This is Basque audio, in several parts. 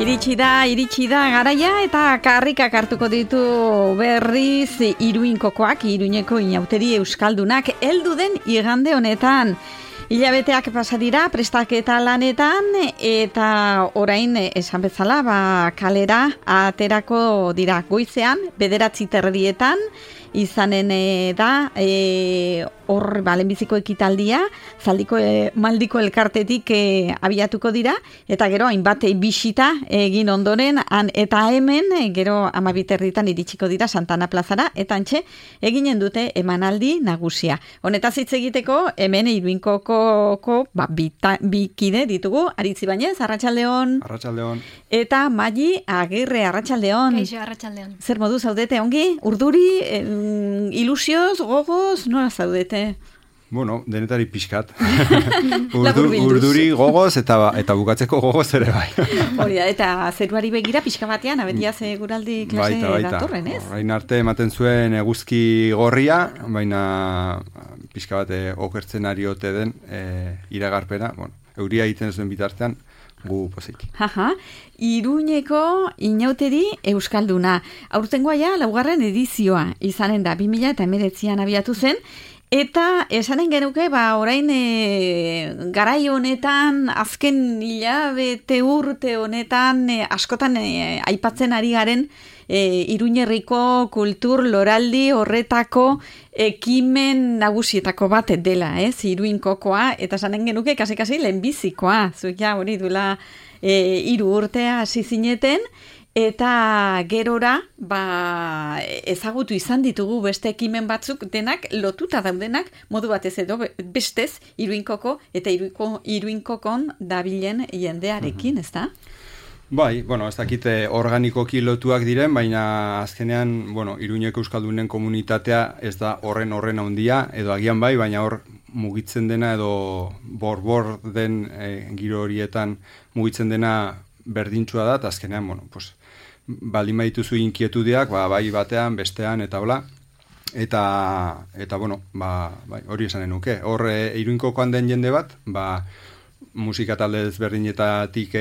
Iritsi da garaia eta karrikak hartuko ditu berriz Iruinkokoak, Iruñeko inauteri euskaldunak heldu den igande honetan. Hilabeteak pasa dira prestaketa lanetan eta orain esan bezala kalera aterako dira goizean 9:30 izanen da hor lehenbiziko ekitaldia Zaldiko Maldiko elkartetik abiatuko dira eta gero hainbat bisita egin ondoren eta hemen gero 12:30 iritsiko dira Santana plazara eta antxe eginen dute emanaldi nagusia. Honetaz hitz egiteko hemen Iruinkoko bi kide ditugu, Aritzi Bañez, arratsaldeon. Arratsaldeon. Eta Maili Agirre, arratsaldeon. Kaixo, arratsaldeon. Zer modu zaudete ongi? Urduri, ilusioz, gogoz, nola zaudete? Bueno, denetari pixkat. Urduri gogoz eta bukatzeko gogoz ere bai. Hori da, eta zeruari begira pixka batean, abetia guraldi klase datorren, ez? Orain arte ematen zuen eguzki gorria, baina pixka bat okertzen ari ote den iragarpena, euria egiten zuen bitartean, gu pozik. Iruñeko inauteri euskalduna. Aurtengoa ja, 4. edizioa izanen da, 2019an abiatu zen, eta esanen genuke, orain garai honetan, azken hilabete urte honetan, askotan aipatzen ari garen Iruñerriko kultur loraldi horretako ekimen nagusietako bat dela, Iruinkokoa, eta esanen genuke kasi lehenbizikoa, zuek ja hori duela 3 urtea hasi zineten, eta gerora ezagutu izan ditugu beste ekimen batzuk denak lotuta daudenak modu batez edo bestez Iruinkoko eta Iruinkokon dabilen jendearekin, ezta? Bai, ez dakite organikoki lotuak diren, baina azkenean, Iruñeko euskaldunen komunitatea ez da horren handia, edo agian bai, baina hor mugitzen dena edo borbor den giro horietan mugitzen dena berdintsua da, eta azkenean, baldin badituzu inkietudeak, bai batean, bestean, eta hola, eta hori esanen nuke. Hor, Iruinkokoan den jende bat, musika talde ezberdinetatik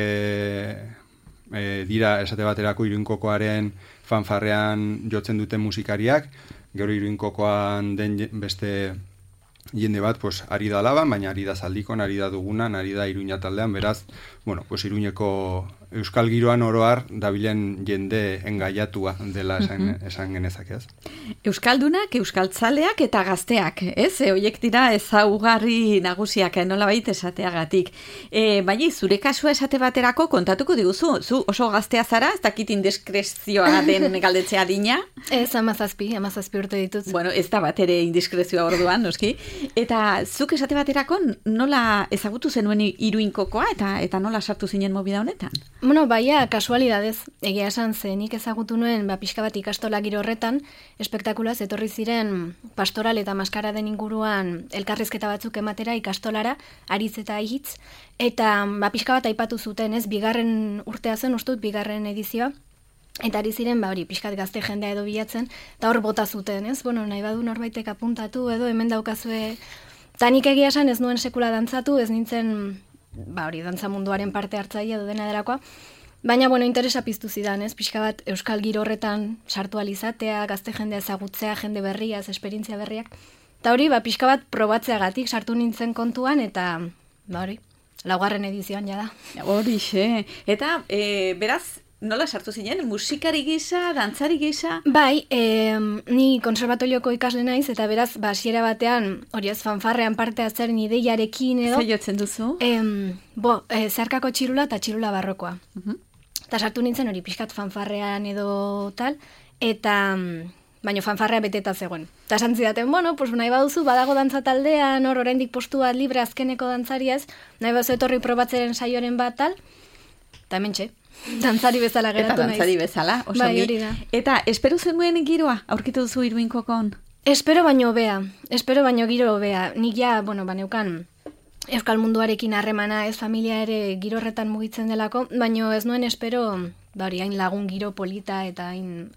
dira esate baterako Iruinkokoaren fanfarrean jotzen duten musikariak, gero Iruinkokoan den beste jende bat, ari da Laban, baina ari da Zaldikon, ari da Dugunan, ari da Iruña taldean, beraz, Iruñeko euskal giroan oroar dabilen jende engaiatua dela esan genezak, ez? Euskaldunak, euskaltzaleak eta gazteak, ez? Horiek dira ezaugarri nagusiak, nolabait esateagatik. Bai, zure kasua esate baterako kontatuko diguzu, zu oso gaztea zara, ez dakit indiskrezioa den galdetzea dina? Ez, 17 urte ditut. Ez da bat ere indiskrezioa orduan, noski? Eta zuk esate baterako nola ezagutu zenuen Iruinkokoa eta nola sartu zinen mobida honetan? Baia, kasualidadez, egia esan zenik ezagutu nuen, pixka bat ikastola giro horretan, espektakulaz etorri ziren pastoral eta maskara den inguruan elkarrizketa batzuk ematera ikastolara, aritz eta hitz, eta pixka bat aipatu zuten, ez, 2. urtea zen, ustut, 2. edizioa, eta ari ziren, hori, pixkat gazte jendea edo bilatzen, eta hor bota zuten, ez, nahi badu norbaitek apuntatu, edo hemen daukazue, eta nik egia esan ez nuen sekula dantzatu, ez nintzen, hori, dantza munduaren parte hartzaile edo dena delakoa, baina, interesa piztu zidan, ez, pixka bat euskal giro horretan sartu alizatea, gazte jendea ezagutzea, jende berriaz, esperientzia berriak, eta hori, pixka bat probatzeagatik sartu nintzen kontuan, eta, hori, 4. edizioan jada. Hori, eta, beraz, nola sartu zinen? Musikari gisa, dantzari gisa? Bai, ni konserbatorioko ikasle naiz, eta beraz, hasiera batean, hori ez, fanfarrean parte hartzearen ideiarekin edo. Zer jotzen duzu? Zeharkako txirula eta txirula barrokoa. Eta sartu nintzen hori pixkat fanfarrean edo tal, eta baina fanfarrea beteta zegoen. Eta esan zidaten, nahi baduzu, badago dantza taldean, hor oraindik postu bat libre azkeneko dantzariaz, nahi baduzu etorri probatzeren saioren bat tal, eta hementxe. Dantzari bezala geratu naiz. Eta dantzari bezala, oso bai, hori da. Eta espero zenuen giroa, aurkitu duzu Iruinkokon? Espero baino giro hobea. Nik ja, baneukan euskal munduarekin harremana, ez familia ere giro horretan mugitzen delako, baino ez nuen espero, hain lagun giro polita eta hain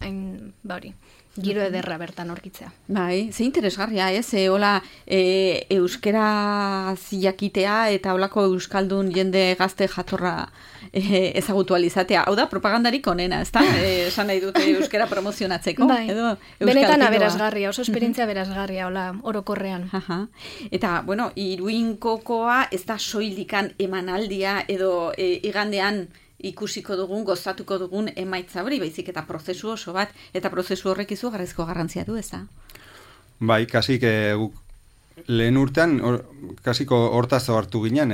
hori, giro ederra bertan aurkitzea. Bai, ze interesgarria, hola euskera ziakitea eta holako euskaldun jende gazte jatorra ezagutu alizatea. Hau da, propagandarik onena, ezta? Esan nahi dute euskera promozionatzeko. Bai, benetan aberasgarria, oso esperientzia aberasgarria, hola, orokorrean. Eta, bueno, Iruinkokoa ez da soilikan emanaldia edo igandean ikusiko dugun, gozatuko dugun emaitza hori, baizik eta prozesu oso bat, eta prozesu horrek izugarrizko garrantzia du, ez da? Bai, kasik lehen urtean, kasiko hortaz hartu ginen,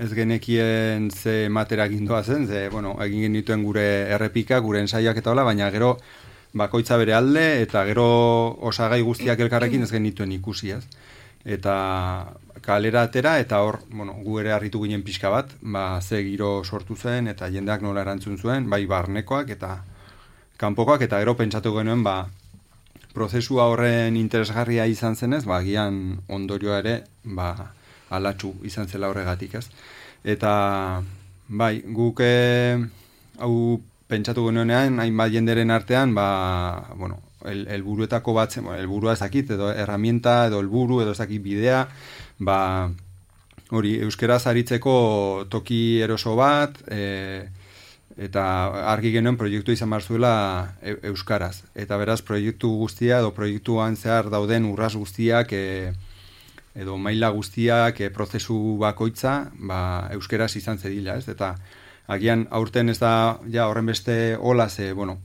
ez genekien ze matera gindoa zen, bueno, egin genituen gure errepika, gure ensaiak eta hola, baina gero bakoitza bere alde, eta gero osagai guztiak elkarrekin ez genituen ikusi, ez? Eta kalera atera, eta hor, bueno, gu ere harritu ginen pixka bat, ze giro sortu zen, eta jendeak nola erantzun zuen, bai barnekoak eta kanpokoak, eta gero pentsatu genuen, prozesua horren interesgarria izan zenez, gian ondorioa ere, alatxu izan zela horregatik, ez? Eta, bai, guk hau pentsatu genuenean, hainbat jenderen artean, bueno, helburuetako bat, helburua ezakit, edo herramienta, edo helburu, edo ezakit bidea, hori, euskaraz aritzeko toki eroso bat, eta argi genuen proiektu izan behar zuela euskaraz. Eta beraz, proiektu guztia, edo proiektuan zehar dauden urras guztiak, edo maila guztiak, prozesu bakoitza, euskaraz izan zedila, ez? Eta agian aurten ez da, horren beste hola, bueno,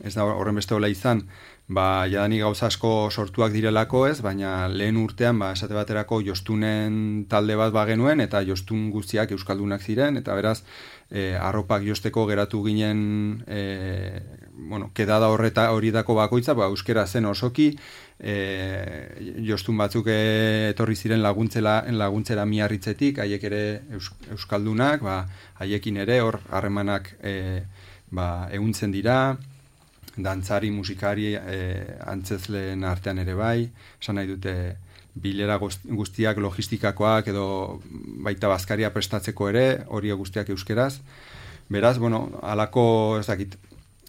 ez da horren beste hola izan, jadanik gauza asko sortuak direlako ez, baina lehen urtean, esate baterako jostunen talde bat bagenuen, eta jostun guztiak euskaldunak ziren, eta beraz, arropak josteko geratu ginen, bueno, kedada horietako bakoitza, euskera zen osoki, jostun batzuk etorri ziren laguntzera Miarritzetik, haiek ere euskaldunak, haiekin ere hor harremanak ehuntzen dira, dantzari, musikari, antzezleen artean ere bai, esan nahi dute bilera guztiak logistikakoak edo baita bazkaria prestatzeko ere, hori guztiak euskeraz. Beraz, bueno, alako, ez dakit,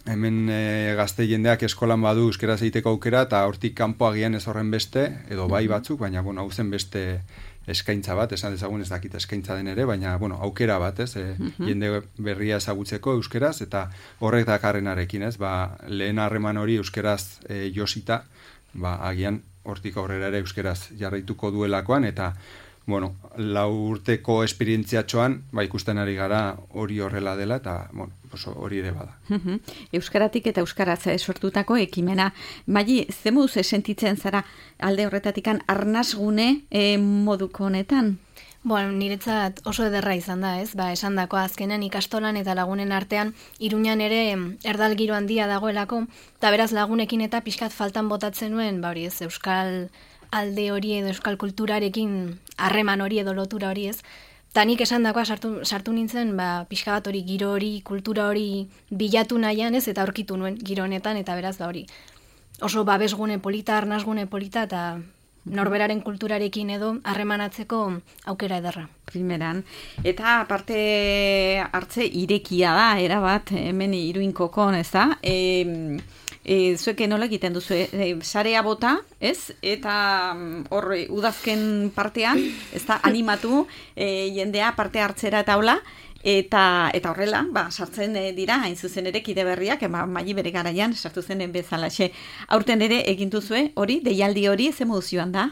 hemen gazte jendeak eskolan badu euskeraz egiteko aukera, eta hortik kanpo agian ez horren beste, edo bai batzuk, baina, bueno, hau zen beste eskaintza bat, esan dezagun ez dakit eskaintza den ere, baina, bueno, aukera bat, ez, jende berria ezagutzeko euskeraz, eta horrek dakarrenarekin, ez, lehen harreman hori euskeraz josita, agian hortik aurrera ere euskeraz jarraituko duelakoan, eta, bueno, 4 urteko esperientziatxoan, ikusten ari gara hori horrela dela, eta, bueno, hori ere bada. Euskaratik eta euskaraz sortutako ekimena. Magi, ze moduz sentitzen zara alde horretatikan arnasgune moduko honetan? Bueno, niretzat oso ederra izan da, ez? Esan dako azkenean ikastolan eta lagunen artean Iruñan ere erdal giro handia dagoelako, eta beraz lagunekin eta pixkat faltan botatzen nuen, hori ez, euskal alde hori edo euskal kulturarekin harreman hori edo lotura hori ez. Eta nik esan dakoa sartu nintzen, pixka bat hori, giro hori, kultura hori bilatu nahian ez, eta aurkitu nuen giro honetan, eta beraz hori. Oso babesgune polita, arnasgune polita, eta norberaren kulturarekin edo harremanatzeko aukera ederra. Primeran. Eta parte hartze irekia da, erabat, hemen Iruinkokon, ez da? Zuek nola egiten duzu, sarea bota, ez? Eta hor udazken partean, ez da, animatu jendea parte hartzera eta hola, eta horrela, sartzen dira, hain zuzen ere kide berriak, Magi bere garaian, sartu zenen bezalaxe. Aurten ere egin duzue, hori, deialdi hori, ze moduzioan da?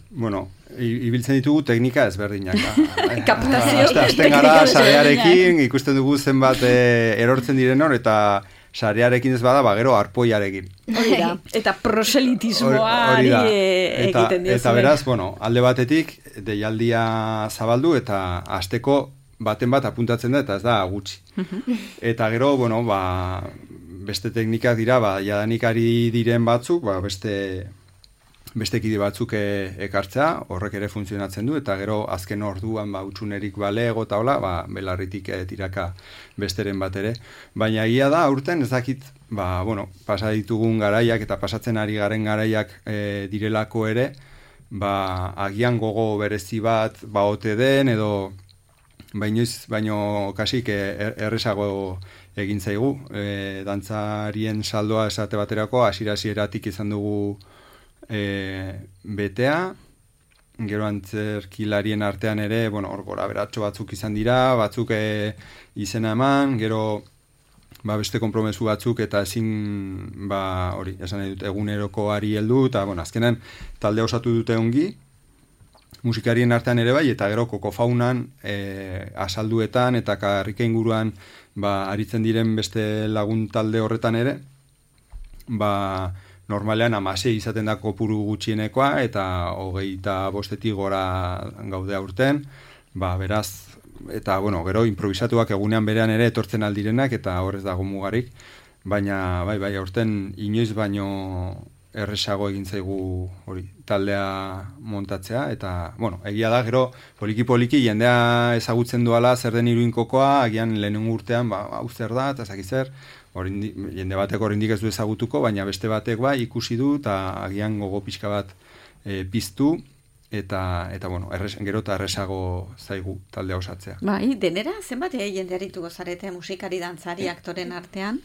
Bueno, ibiltzen ditugu teknika ezberdinak. Kaptazio. Azten gara sarearekin, ikusten dugu zenbat erortzen diren hor, eta sarearekin ez bada, gero arpoiarekin. Hori da. Eta proselitismoari egiten diozu. Eta beraz, bueno, alde batetik, deialdia zabaldu, eta hasteko baten bat apuntatzen da, eta ez da gutxi. Eta gero, bueno, beste teknikak dira, jadanik ari diren batzuk, beste kide batzuk ekartzea, horrek ere funtzionatzen du, eta gero azken orduan utsunerik balego eta hola, belarritik tiraka besteren bat ere. Baina egia da, aurten ez dakit, bueno, pasa ditugun garaiak eta pasatzen ari garen garaiak direlako ere, agian gogo berezi bat ote den, edo baino kasik errezago egin zaigu. Dantzarien saldoa esate baterako hasieratik izan dugu betea, gero antzerkilarien artean ere, hor gora beratxo batzuk izan dira, batzuk izena eman, gero beste konpromesu batzuk eta ezin hori, esan nahi dut, egunerokoari heldu, eta azkenan talde osatu dute ongi, musikarien artean ere bai, eta gero kokofaunan asalduetan eta karrika inguruan aritzen diren beste lagun talde horretan ere, normalean 16 izaten da kopuru gutxienekoa, eta 25 gora gaude aurten, beraz, eta gero improvisatuak egunean berean ere etortzen aldirenak, eta horrez dago mugarik, baina bai, aurten inoiz baino erresago egin zaigu hori taldea montatzea, eta egia da gero poliki jendea ezagutzen duala zer den Iruinkokoa, agian lehenengo urtean hau zer da, eta ezakit zer, jende batek oraindik ez du ezagutuko, baina beste batek ikusi du, eta agian gogo pixka bat piztu, eta gero eta erresago zaigu taldea osatzea. Bai, denera, zenbat jende arituko zarete musikari, dantzari, aktoren artean?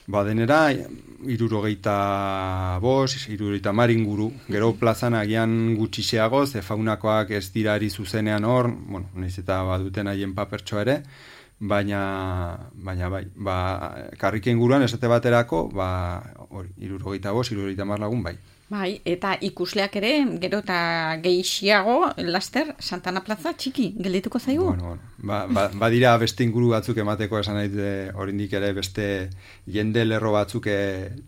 Denera, 75, 70 inguru, gero plazan agian gutxixeago, ze faunakoak ez dira ari zuzenean hor, nahiz eta baduten haien papertxoa ere, baina bai, karrika inguruan esate baterako, 75, 70 lagun bai. Bai, eta ikusleak ere, gero eta gehiago, laster, Santana Plaza txiki, geldituko zaigu? Badira beste inguru batzuk emateko esan nahi oraindik ere beste jende lerro batzuk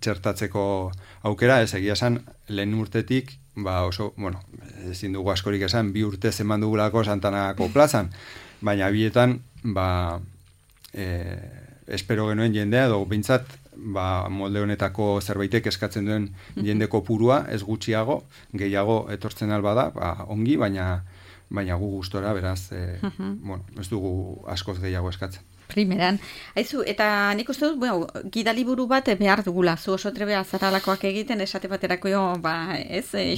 txertatzeko aukera, ez egia esan lehen urtetik, oso, ezin dugu askorik esan, 2 urte eman dugulako Santanako plazan, baina bietan, espero genuen jendea, edo bintzat, molde honetako zerbaitek eskatzen duen jende kopurua, ez gutxiago, gehiago etortzen alba da, ongi, baina gu gustora, beraz, ez dugu askoz gehiago eskatzen. Primeran. Aizu, eta nik uste dut, gidaliburu bat behar dugula, zu oso trebea zaralakoak egiten, esate baterako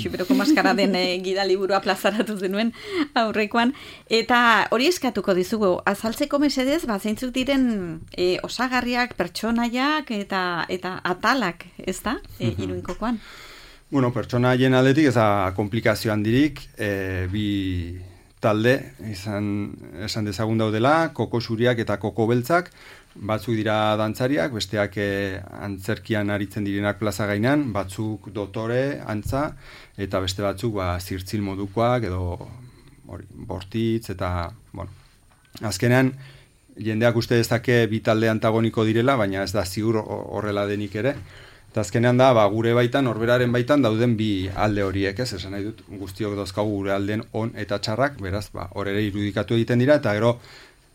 Xuberoko maskara den gidaliburua plazaratu zenuen aurrekoan, eta hori eskatuko dizugu, azaltzeko mesedez, zeintzuk diren osagarriak, pertsonaiak eta atalak, ez da, Iruinkokoan? Pertsonaien aldetik, ez da komplikazio handirik, bi talde, esan dezagun daudela, koko zuriak eta koko beltzak, batzuk dira dantzariak, besteak antzerkian aritzen direnak plaza gainean, batzuk dotore, antza, eta beste batzuk zirtzil modukoak, edo bortitz, eta, azkenean, jendeak uste dezake bi talde antagoniko direla, baina ez da ziur horrela denik ere, eta azkenean da, gure baitan, norberaren baitan dauden bi alde horiek, ez? Esan nahi dut, guztiok dauzkagu gure alden on eta txarrak, beraz, hor ere irudikatu egiten dira, eta gero,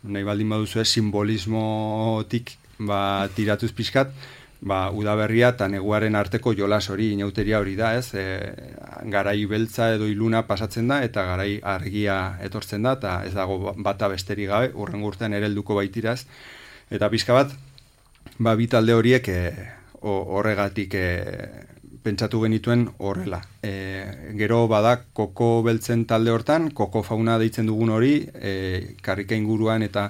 nahi baldin baduzu simbolismotik tiratuz pixkat, udaberria eta neguaren arteko jolas hori, inauteria hori da, ez? Garai beltza edo iluna pasatzen da, eta garai argia etortzen da, eta ez dago bata besterik gabe, urrengo urtean ere helduko baitiraz, eta pixka bat, bi talde horiek horregatik pentsatu genituen horrela. Gero bada koko beltzen talde hortan, koko fauna deitzen dugun hori, karrika inguruan eta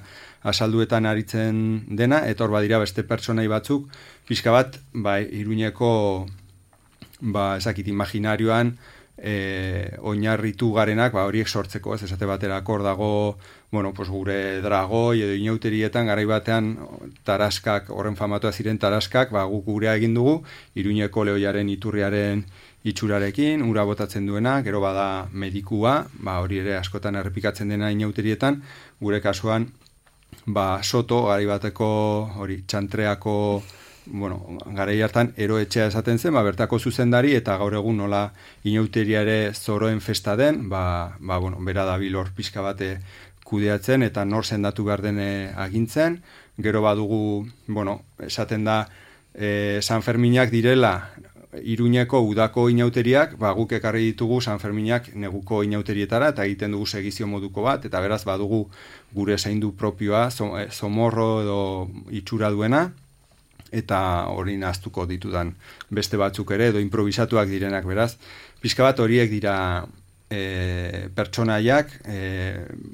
asalduetan aritzen dena, eta hor badira beste pertsonai batzuk, pixka bat, Iruñeko, imaginarioan, oinarritu garenak, horiek sortzeko, ez esate baterako hor dago, gure dragoi edo inauterietan, garai batean taraskak, horren famatua ziren taraskak, guk gurea egin dugu, Iruñeko lehoiaren iturriaren itxurarekin, ura botatzen duena, gero bada medikua, hori ere askotan errepikatzen dena inauterietan, gure kasuan, soto, garai bateko, hori, txantreako, garai hartan eroetxea esaten zen, bertako zuzendari, eta gaur egun nola inauteria ere zoroen festa den, bera dabil hor pixka bate kudeatzen, eta nor sendatu behar den agintzen, gero badugu, esaten da, San Ferminak direla, Iruñeko udako inauteriak, guk ekarri ditugu San Ferminak neguko inauterietara, eta egiten dugu segizio moduko bat, eta beraz badugu gure zaindu propioa, zomorro edo itxura duena, eta hori nahaztuko ditudan beste batzuk ere, edo improvisatuak direnak, beraz. Pixka bat horiek dira pertsonaiak,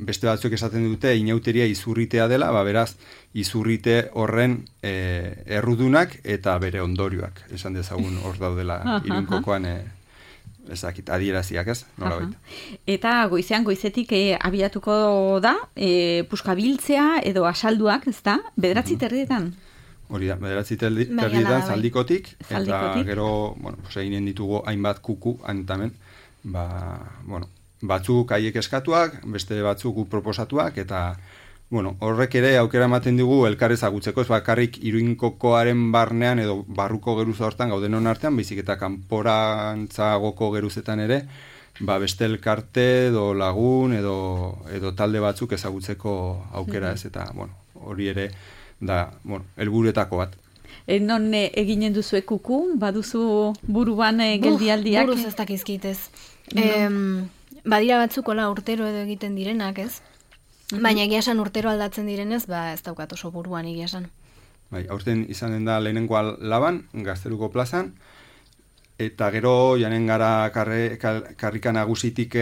beste batzuk esaten dute inauteria izurritea dela, beraz, izurrite horren errudunak eta bere ondorioak, esan dezagun hor daudela Iruinkokoan ezakit, adieraziak ez, nola baita. Eta goizetik abiatuko da, puskabiltzea edo asalduak, ez da, 9:00 Hori da, 9:00 zaldikotik, eta gero, eginen ditugu hainbat kuku, antamen, batzuk haiek eskatuak, beste batzuk proposatuak, eta horrek ere aukera ematen digu elkar ezagutzeko, ez bakarrik Iruinkokoaren barnean edo barruko geruza hortan gaudenon artean, baizik eta kanporantzagoko geruzetan ere, beste elkarte edo lagun edo talde batzuk ezagutzeko aukera ez, eta hori ere da, helburuetako bat. Non eginen duzu kuku, baduzu buruan geldialdiak? Buruz ez dakizkitez. Badira batzuk urtero edo egiten direnak, ez? Baina egia esan urtero aldatzen direnez, ez daukat oso buruan egia esan. Aurten izanen da lehenengoa Laban, Gazteluko plazan, eta gero janen gara karrika nagusitik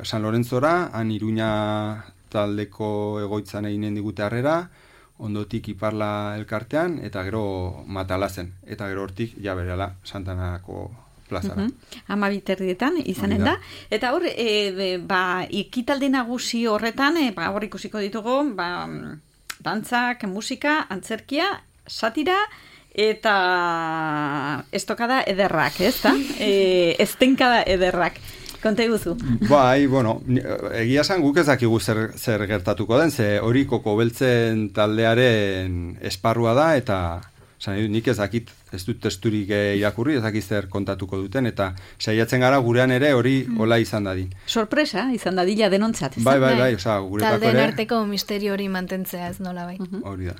San Lorenzora, han Iruña taldeko egoitzan eginen digute harrera, ondotik Iparla elkartean, eta gero Matalazen, eta gero hortik berela Santanako plazara. 12:00 izanen da. Eta hor, ekitaldi nagusi horretan, hor ikusiko ditugu, dantzak, musika, antzerkia, satira, eta estokada ederrak, ez da? Estenkada ederrak. Konta iguzu. Egia esan guk ez dakigu zer gertatuko den, ze hori Koko Beltzen taldearen esparrua da, eta nik ez dakit, ez dut testurik irakurri, ez dakit zer kontatuko duten, eta saiatzen gara gurean ere hori hola izan dadin. Sorpresa, izan dadila denontzat. Bai, guretako ere. Taldeen arteko misterio hori mantentzea ez nola bai. Hori da.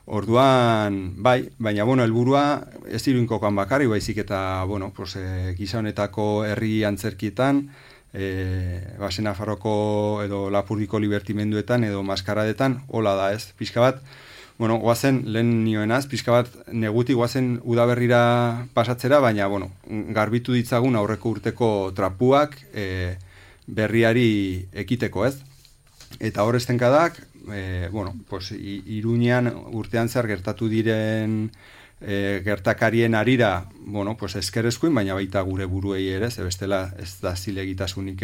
Orduan, baina, helburua ez Iruinkokoan bakarri, baizik eta, gisa honetako herri antzerkietan, Nafarroko edo Lapurdiko libertimenduetan edo maskaradetan, hola da ez, pixka bat, guazen lehen nioenaz, pixka bat negutik guazen udaberrira pasatzera, baina, garbitu ditzagun aurreko urteko trapuak berriari ekiteko ez. Eta hor estenkadak, Iruñean urtean zer gertatu diren gertakarien arira, eskerezkoin, baina baita gure buruei ere, ze bestela ez da zilegitasunik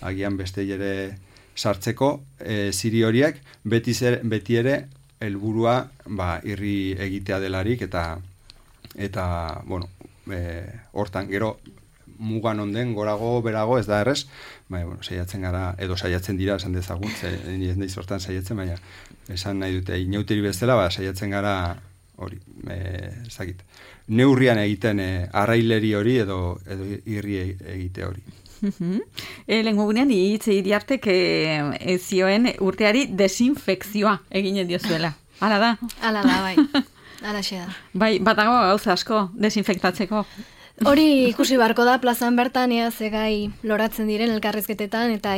agian beste ere sartzeko ziri horiek, beti ere helburua irri egitea delarik, eta hortan, gero mugan onden, gorago, berago, ez da errez, saiatzen gara, edo saiatzen dira, esan dezagun, ez naiz hortan saiatzen, baina esan nahi dute, inauteri bezala, saiatzen gara, hori, ezagit, neurrian egiten arraileri hori, edo irri egite hori. Lehenko gunean, Iriartek zioen urteari desinfekzioa eginen diozuela. Hala da? Hala da, bai. Hala xe da. Bai, batago gauza asko desinfektatzeko. Hori ikusi barko da plazan bertan, ze gai loratzen diren elkarrizketetan, eta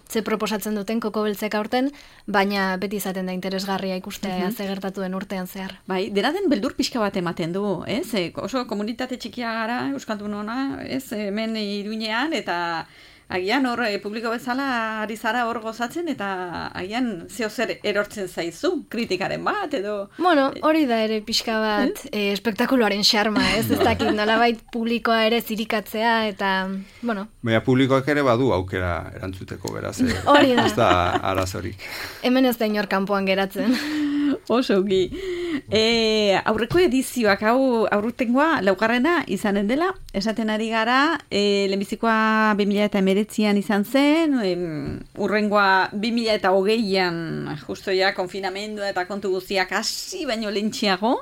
ze proposatzen duten Koko Beltzek aurten, baina beti izaten da interesgarria ikustea ze gertatuen urtean zehar. Bai, dena den beldur pixka bat ematen du, ez? Oso komunitate txikia gara, euskaldunona, ez? Hemen Iruinean, eta agian hor publiko bezala ari zara hor gozatzen, eta agian zeo zer erortzen zaizu, kritikaren bat, edo... Hori da ere pixka bat espektakuloaren xarma, ez dakit nolabait publikoa ere zirikatzea, eta, Baina publikoak ere badu aukera erantzuteko beraz, hori da. Ez da arazorik. Hemen ez da inor kanpoan geratzen. Oso gi. Aurreko edizioak aurtengoa laugarrena izanen dela, esaten ari gara, lehenbizikoa 2019an izan zen, urrengoa 2020an justo ja konfinamendua eta kontu guztiak hasi baino lentxiago,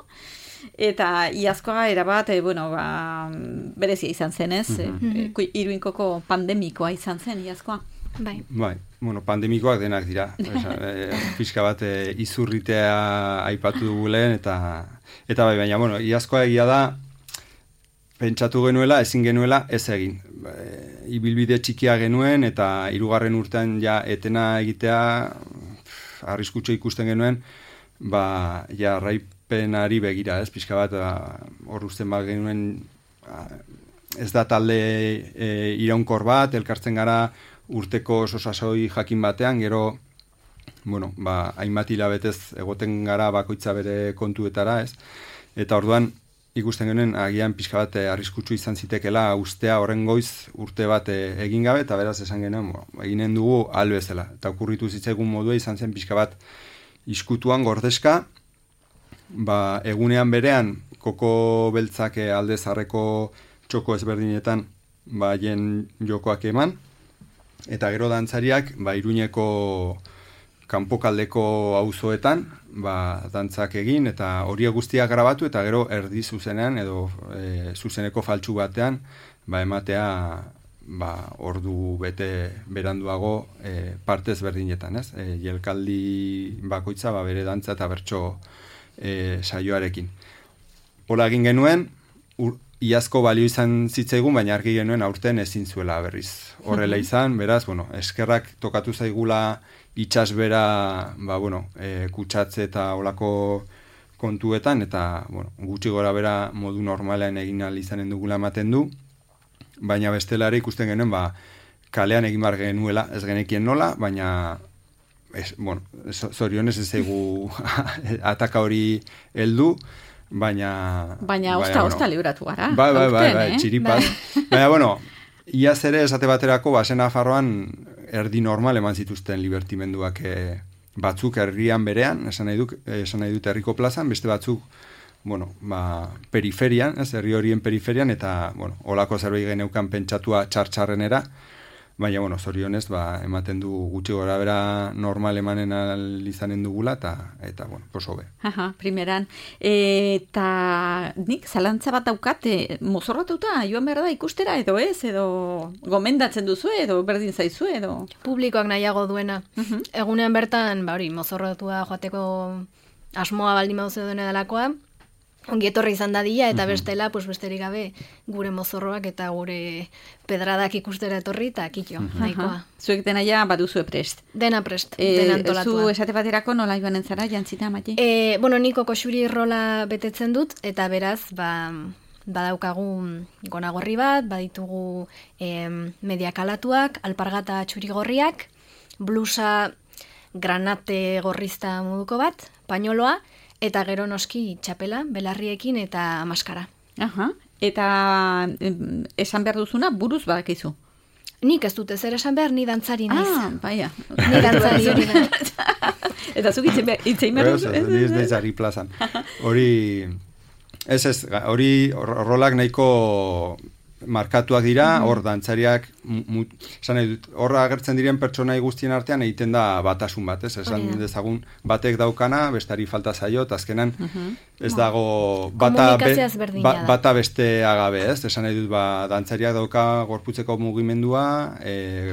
eta iazkoa erabat, berezia izan zen ez, Iruinkoko pandemikoa izan zen iazkoa. Bai, pandemikoak denak dira. Pixka bat izurritea aipatu dugu lehen, eta bai, baina, iazkoa egia da, pentsatu genuela, ezin genuela, ez egin. Ibilbide txikia genuen, eta 3. urtean etena egitea, arriskutxo ikusten genuen, raipenari begira, ez, pixka bat, hor usten bat genuen, ez da talde iraunkor bat, elkartzen gara urteko sasoi jakin batean, gero, bueno, hainbat hilabetez egoten gara bakoitza bere kontuetara, ez? Eta orduan, ikusten genuen, agian pixka bat arriskutsu izan zitekela ustea horren goiz urte bat egin gabe, eta beraz esan genuen, eginen dugu albezela. Eta okurritu zitzaigun modua izan zen pixka bat iskutuan gordezka, egunean berean, koko beltzak alde zarreko txoko ezberdinetan haien jokoak eman, eta gero dantzariak Iruñeko kanpokaldeko auzoetan dantzak egin, eta horiek guztiak grabatu, eta gero erdi zuzenean edo zuzeneko faltsu batean ematea ordu bete beranduago parte ezberdinetan, ez? Jelkaldi bakoitza bere dantza eta bertso saioarekin. Hola egin genuen, iazko balio izan zitzaigun, baina argi genuen aurten ezin zuela berriz. Horrela izan, beraz, eskerrak tokatu zaigula itsasbera, kutsatze eta olako kontuetan, eta gutxi gora bera modu normalean egin ahal izanen dugula ematen du, baina bestelare ikusten genuen, kalean egin bar genuela, ez genekien nola, baina zorionez ez zaigu ataka hori heldu, baina osta libratu gara. Bai, txiripaz. Baina, iaz ere esate baterako, Sena Nafarroan erdi normal eman zituzten libertimenduak batzuk herrian berean, esan nahi dut herriko plazan, beste batzuk, periferian, herri horien periferian, eta, olako zerbait geneukan pentsatua txartxarrenera, baina, zorionez, ematen du gutxi gora bera normal emanen izanen dugula, eta poso be. Primeran. Eta nik zalantza bat daukat, mozorratuta, joan behar da ikustera, edo ez, edo gomendatzen duzu, edo berdin zaizu, edo... Publikoak nahiago duena. Egunean bertan, mozorratua joateko asmoa baldin mauze duena delakoa, ongi etorri izan dadila, eta bestela, besterik gabe, gure mozorroak eta gure pedradak ikustera etorri, eta kitxo, nahikoa. Zuek dena ja baduzu prest. Dena prest, dena antolatua. Zu esate baterako nola joanen zara, jantzita, Mati? Niko koxuri rola betetzen dut, eta beraz, badaukagu gonagorri bat, baditugu mediakalatuak, alpargata txurigorriak, blusa granate gorrizta moduko bat, pañoloa, eta gero noski txapela, belarriekin eta maskara. Eta esan behar duzuna buruz badakizu? Nik ez dut ezer esan behar, ni dantzari naiz. Baina. Ni dantzari hori da. Eta zuk itzein behar duzu? Ni ez deitzari plazan. Hori rolak nahiko markatuak dira, hor dantzariak, horra agertzen diren pertsonai guztien artean egiten da batasun bat, esan dezagun batek daukana, bestari falta zaio, eta azkenan ez dago bata beste agabe, esan nahi dut dantzariak dauka gorputzeko mugimendua,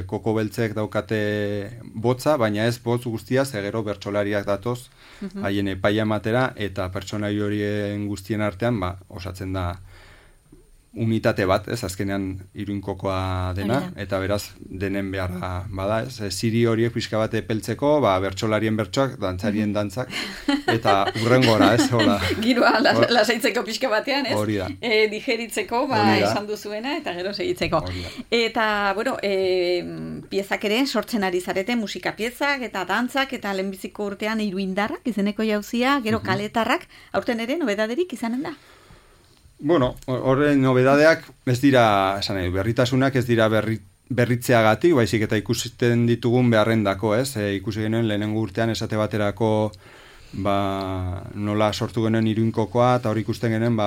koko beltzek daukate botza, baina ez botz guztia, zegero bertsolariak datoz, haien epaia matera, eta pertsonai horien guztien artean, osatzen da unitate bat, azkenean Iruinkokoa dena, eta beraz denen beharra bada, ziri horiek pixka bat epeltzeko, bertsolarien bertsoak, dantzarien dantzak, eta urrengora, hola. Giroa lasaitzeko pixka batean, hori da. Digeritzeko, esan duzuena, eta gero segitzeko. Eta, piezak ere sortzen ari zarete, musika piezak, eta dantzak, eta lehenbiziko urtean iruindarrak, izeneko jauzia, gero kaletarrak, aurten ere nobedaderik izanen da? Horren nobedadeak ez dira, berritasunak ez dira berritzeagatik, baizik eta ikusten ditugun beharrendako, ikusi genuen lehenengo urtean esate baterako nola sortu genuen Iruinkokoa, eta hori ikusten genuen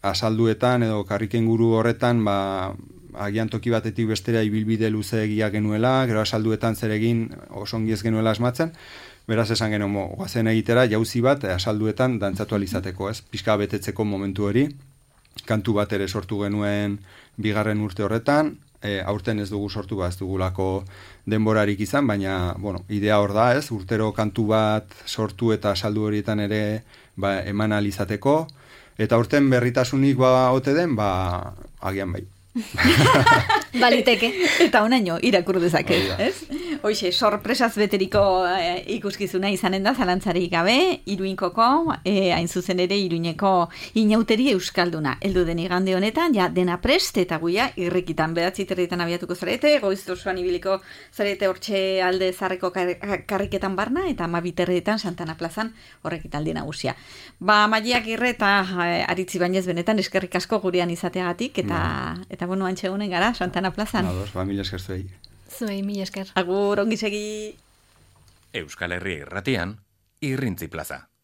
asalduetan edo karriken guru horretan agian toki batetik bestera ibilbide luze egia genuela, gero asalduetan zer egin osongi ez genuela asmatzen, beraz esan genuen, guazen egitera, jauzi bat, asalduetan dantzatu alizateko, pixka betetzeko momentu hori. Kantu bat ere sortu genuen bigarren urte horretan, aurten ez dugu sortu, ez dugulako denborarik izan, baina, idea hor da, urtero kantu bat sortu eta asaldu horietan ere eman alizateko, eta aurten berritasunik ote den, agian bai. Baliteke. Eta onaino irakur dezake, ez? Hoxe, sorpresaz beteriko ikuskizuna izanen da, zalantzarik gabe, Iruinkoko, hain zuzen ere Iruñeko inauteri euskalduna. Heldu den igande honetan, ja dena prest eta guia irrikitan 9:30 abiatuko zarete, goiz osoan ibiliko zarete hortxe alde zarreko karriketan barna, eta 12:30 Santana plazan horrek italdi nagusia. Maiak irre eta aritzi bainez benetan eskerrik asko gurean izateagatik, eta bueno, antxe egunen gara, Santana plazan. Mila esker zuei. Zuei, mila esker. Agur, ongi segi. Euskal Herria irratian, Irrintzi plaza.